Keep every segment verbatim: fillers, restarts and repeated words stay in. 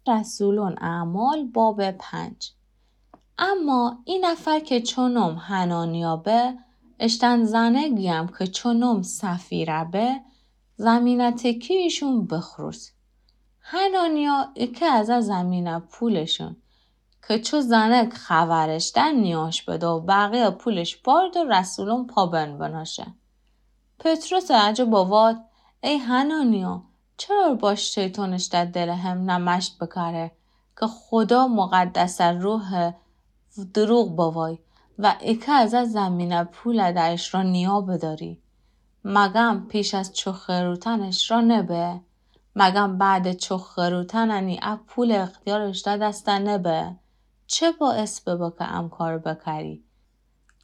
رسولون اعمال باب پنج. اما ای نفر که چو نوم حنانیا به، اشتأن زنگی یم که چو نوم سفیره به، زمینه تکی‌یشون بخروس. حنانیا ایکه از ا زمینه پولشون که چو زنگ خبرش ده نیاش بده و بقیه پولش بارد و رسولون پابند بناشه. پطرس اجه بواد: ای حنانیا، چرا باش شیطان اشته دل همه مشت بکره که خدا مقدس روح دروغ بوای و ایکه از ا زمینه پول ده اشرا نیا بداری؟ مگم پیش از چو خروتن اشرا نبه؟ مگم بعد چو خروتن انی ا پول اختیارش ده دسته نبه؟ چه باعث ببه که ام کار بکری؟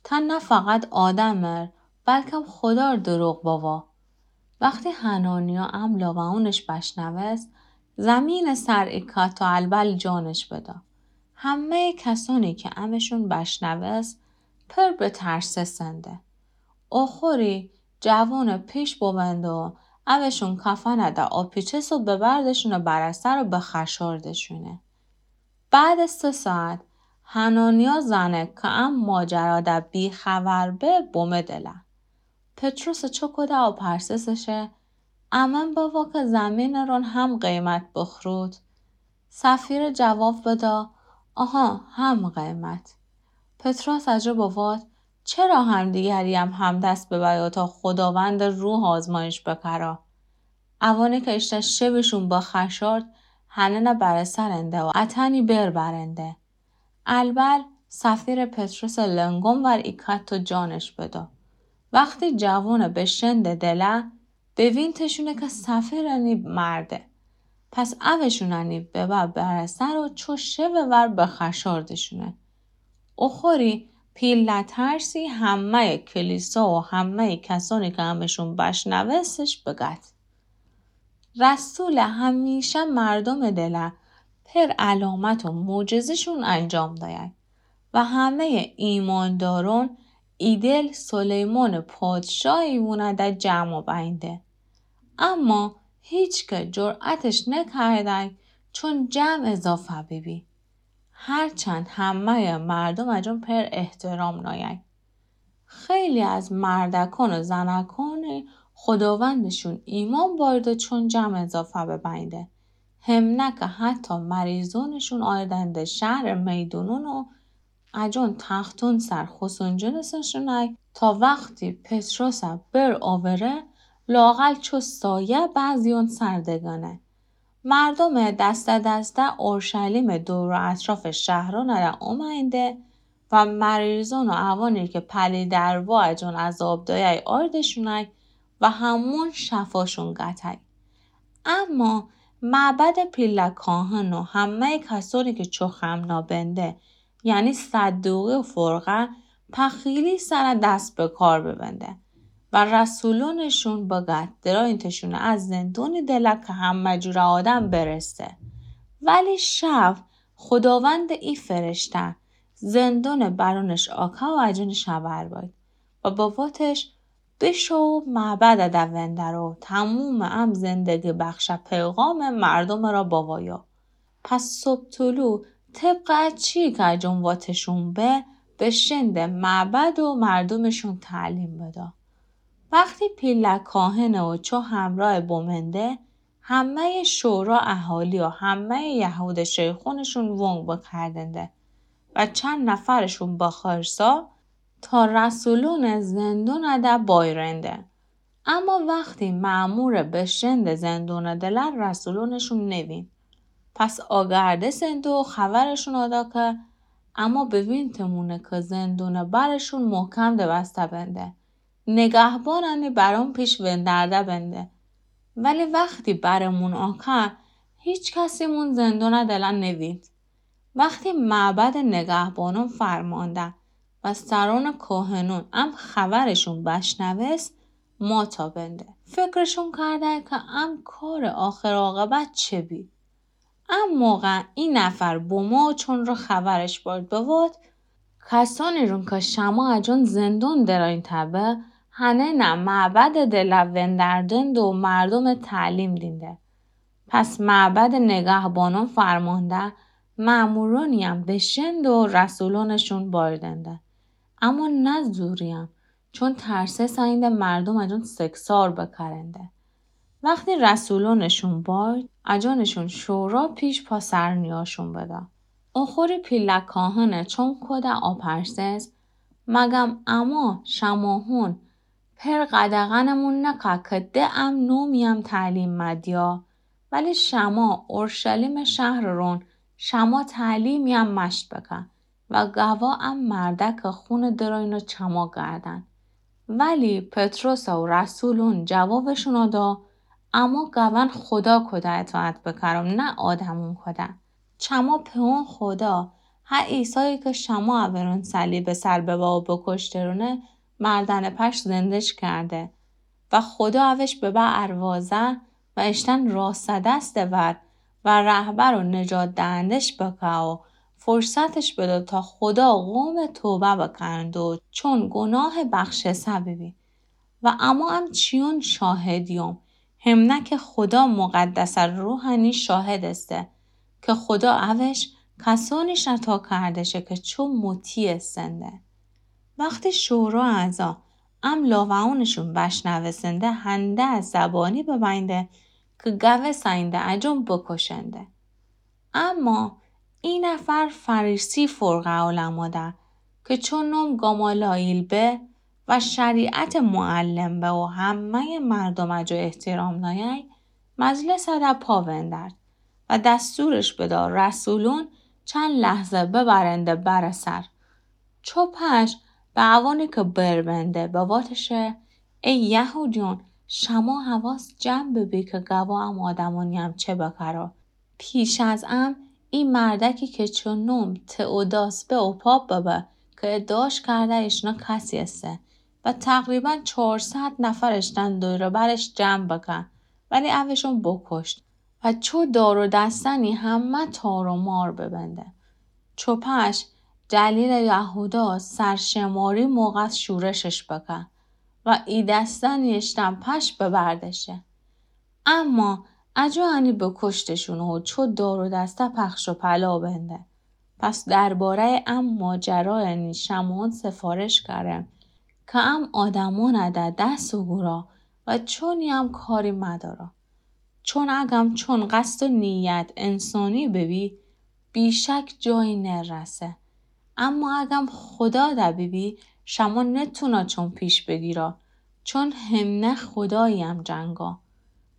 تا نه فقط آدمر، بلکم خدار دروغ بوا. وقتی حنانیا ام لابه‌اونش بشنوست، زمین سر ایکا تا البل جانش بدا. همهٔ کسانی که امشون بشنوست، پر به ترسه سنده. اوخوری جوان پیش ببنده و اوشون کفنه ده آپیچس و ببردشونه بر سر و به خشاردشونه. بعد سه ساعت، حنانیا زنه که ام ماجرا ده بی‌خبر به بومه دله. پطرس چوکوده و پرسسشه: امن بوا که زمینٚ رون هم قیمت بخروت؟ سفیره جواب بدا: آها، هم قیمت. پطرس اجه بواد: چرا همدیگری هم همدست ببیا تا خداوندٚ روح آزمایش بکرا؟ اوانی که اشته شبشون بخشارد، هننه بر سرنده و اتنی بر برنده. البل سفیره پطرس لنگون ور ایکت و جانش بدا. وقتی جوان بشنده دله، بوینتشونه که سفیر انی مرده. پس اوشون انی ببر بر سر و چو شب ور بخشاردشونه. اوخوری پیله ترسی همهٔ کلیسا و همهٔ کسانی که امشون بشنوستش بگد. رسول همیشه مردم دله پر علامت و معجزه‌شون انجام داید و همهٔ ایماندارون ایدل سلیمان پادشاهی وونه ده جمع بینده. اما هیچ که جرأتش نکرده چون جمع اضافه ببی. هرچند همهٔ مردم اجون پر احترام ناید. خیلی از مردکان و زنکان خداوندشون ایمان بارده چون جمع اضافه ببینده. همنه که حتی مریضونشون آیدنده شهر میدونون و اجون تختون سر خسون جنسشونه تا وقتی پطرس بر آوره لااقل چو سایه بعضیون سر دگنه. مردم دسته دسته اورشلیم دور و اطراف شهرون ره اومینده و مریضون و اوانی که پلی دروا اجون عذاب دایه آردشونک و همون شفاشون گتک. اما معبد پیله کاهن و همهٔ کسانی که چو خمنا بنده، یعنی صدوقی و فرقه، پخیلی سر دست به کار ببنده و رسولونشون بگد درا اینتشون از زندونی دله که همه جور آدم برسته. ولی شب خداوند ای فرشته زندون برونش آکا و اجونش خبر باید و بواتش بشو معبد ده وندرو تموم ام زندگی بخش پیغام مردم را بوایا. پس صبح طلوع طبق چی که اجون واتشون به، بشنده معبد و مردمشون تعلیم بدا. وقتی پیله کاهنه و چو همراه بومنده، همهٔ شورا اهالی و همهٔ یهود شیخونشون ونگ بکردنده و چند نفرشون بخرسا تا رسولون زندون ده بایرنده. اما وقتی مأمور بشند زندون دلر رسولونشون نوین. پس آگرده سندو خبرشون آدا که اما بوینتمونه که زندون برشون محکم ده بسته بنده. نگهبانانی برون پیش وندرده بنده. ولی وقتی برمون آکه، هیچ کسیمون زندون دلر نوید. وقتی معبد نگهبانون فرمانده و سران کاهنون ام خبرشون بشنوست، ماتا بنده. فکرشون کرده که ام کار آخر عاقبت چه بی. ام موقع ای نفر بومو چون رو خبرش بارد بواد، کسانی رون که شما اجون زندون دراین تبه، هنه نه معبد دل وندردند و مردم تعلیم دینده. پس معبدٚ نگهبانون فرمانده، مأمورونی‌یم دشتند و رسولونشون باردنده. اما نه زوریم، چون ترسستیندی مردوم اجون سکسار بکرنده. وختی رسولونشون بارد، اجونشون شورا پیش پا سر نیاشون بدا. اوخوری پیله کاهنه چون کوده آپرسس، مگم اما شماهون پر قدغنمون نکه که ده ام نومیم تعلیم مدیا؟ ولی شما اورشلیمٚ شهر رون شما تعلیمیم مشت بکه و گوا ام مردکٚ خونٚ درونو چما گردن. ولی پطرس و رسولون جوابشون دا، اما گون خودا کوده اطاعت بکرم، نه آدمون کوده. چما پئون خودا، هه عیسایی که شما اورون صلیبٚ سر ببه و بکشترونه، مردنٚ پشت زنده‌ش کرده و خودا اوش ببه اروازه و اشتن راسته دستٚ ور و رهبر و نجات دهنده‌ش بکه و فرصتش بده تا خودا قومٚ توبه بکرند و چون گناه بخشسه ببی. و اما ام چیون شاهدیوم، همنه که خودا مقدسٚ روحنی شاهد استه که خودا اوش کسونیش عطا کردشه که چو مطیع استنده. وختی شورا اعضا ام لاوه‌اونشون بشنوستنده، هنده از زبانی ببینده که گوستینده اجون بکشنده. اما ای نفر فریسی فرقه علما ده که چون نوم گامالائیل به و شریعتٚ معلم به و همه‌یٚ مردوم اجو احترام نایه، مجلس ده پا وندرد و دستورش بدا رسولون چند لحظه ببرنده بره سر. چو پش به اوانی که بر بنده بواتشه، ای یهودیون، شما حواس جمع ببی که گوا ام آدمونی‌یم چه بکرو. پیش از ام ای مردکی که چو نوم تئوداس به اوپا ببه که ادعاش کرده اشنا کسی استه و تقریباً چهارصد نفر اشتن دور و برش جمع بکن، ولی اوشون بکشت و چو دار و دستنی همه تار و مار ببنده. چو پش دلیل یهودا سرشماری موقع شورشش بکن و ای دستنی اشتن پش ببردشه. اما اجو انی بکشتشون و چو دار و دسته پخش و پلا بنده. پس درباره‌یٚ ام ماجرا انی شمعون سفارش کرم که ام آدمون ده دست و گورا و چونی ام کاری مدارا. چون اگم چون قصد و نیت انسانی ببی، بیشک جایی نرسه. اما اگم خودا ده ببی، شما نتونا چون پیش بگیرا، چون همنه خوداییم جنگا.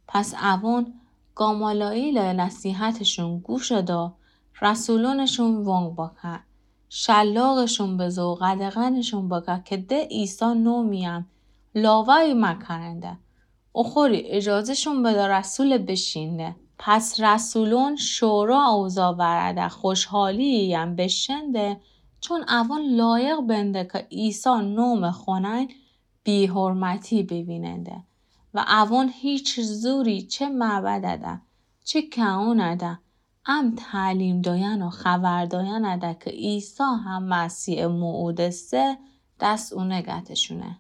پس اوون گامالائیلٚ نصیحتشون گوش دا، رسولونشون وانگ بکن، شلاقشون بزه و قدغنشون بکن که ده عیسی نومیم لاوه‌یی مکرنده. اوخوری اجازه‌شون بده رسول بشینده. پس رسولون شورا اوضاع ورده خوشحالی‌یم بشنده، چون اوون لایق بنده که عیسی نوم خونین بی‌حرمتی بویننده و اوون هیچ زوری چه معبده ده، چه کهونه ده، ام تعلیم دایأن و خبر دایأن ده که عیسی هم مسیحٚ موعودسته دست اونه گتشونه.